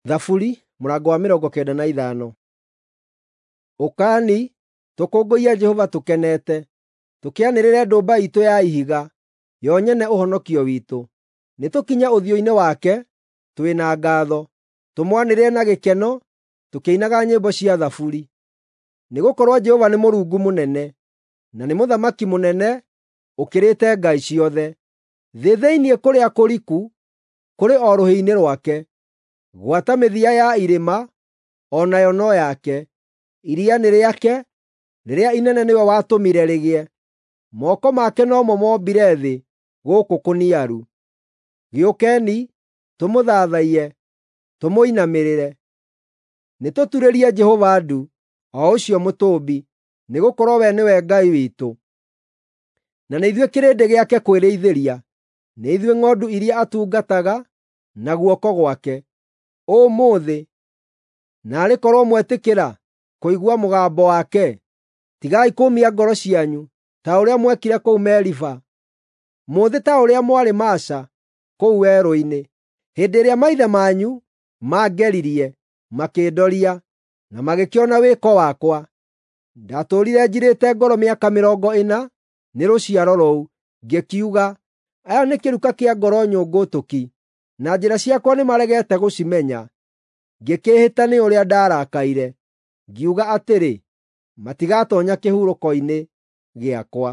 Thaburi mũrango wa 95. Ũkani, tũkũngũiye Jehova tũkenete, tũkĩanĩrĩre ndũmba iitũ ya ihiga, yo nyene ũhonokio witũ. Nĩtũkinye ũthiũ-inĩ wake twĩ na ngaatho, tũmwanĩrĩre na gĩkeno tũkĩinaga nyĩmbo cia thaburi. Nĩgũkorwo Jehova nĩ Mũrungu mũnene, na nĩ Mũthamaki mũnene ũkĩrĩte ngai ciothe. Thĩ thĩinĩ kũrĩa kũriku kũrĩ o rũhĩ-inĩ rwake, gwata mĩthia ya irĩma o nayo no yake. Iria nĩ rĩake, rĩrĩa inene nĩwe watũmire rĩgĩe. Moko make no mo mombire thĩ gũkũ kũniaru. Gĩũkeni, tũmũthathaiye, tũmũinamĩrĩre. Nĩtũturĩrie Jehova ndu, o ũcio Mũtũũmbi, nĩgũkorwo we nĩwe Ngai witũ. Na nĩ ithuĩ kĩrĩndĩ gĩake kwĩrĩithĩria, nĩ ithuĩ ng'ondu iria atungataga na guoko gwake. Ũmũthĩ, naarĩ korwo mwetĩkĩra kũigua mũgambo wake, tigai kũũmia ngoro cianyu ta ũrĩa mwekire kũu Meriba, mũthĩ ta ũrĩa mwarĩ Masa kũu werũ-inĩ, hĩndĩ ĩrĩa maithe manyu maangeririe, makĩndoria, na magĩkĩona wĩko wakwa. Ndatũũrire njirĩte ngoro mĩaka 40 nĩ rũciaro rũu, ngĩkiuga, “Aya nĩ kĩruka kĩa ngoro nyũngũtũki, na njĩra ciakwa nĩmaregete gũcimenya.” Ngĩkĩĩhĩta nĩ ũrĩa ndarakaire, ngiuga atĩrĩ, “Matigatoonya kĩhurũko-inĩ gĩakwa.”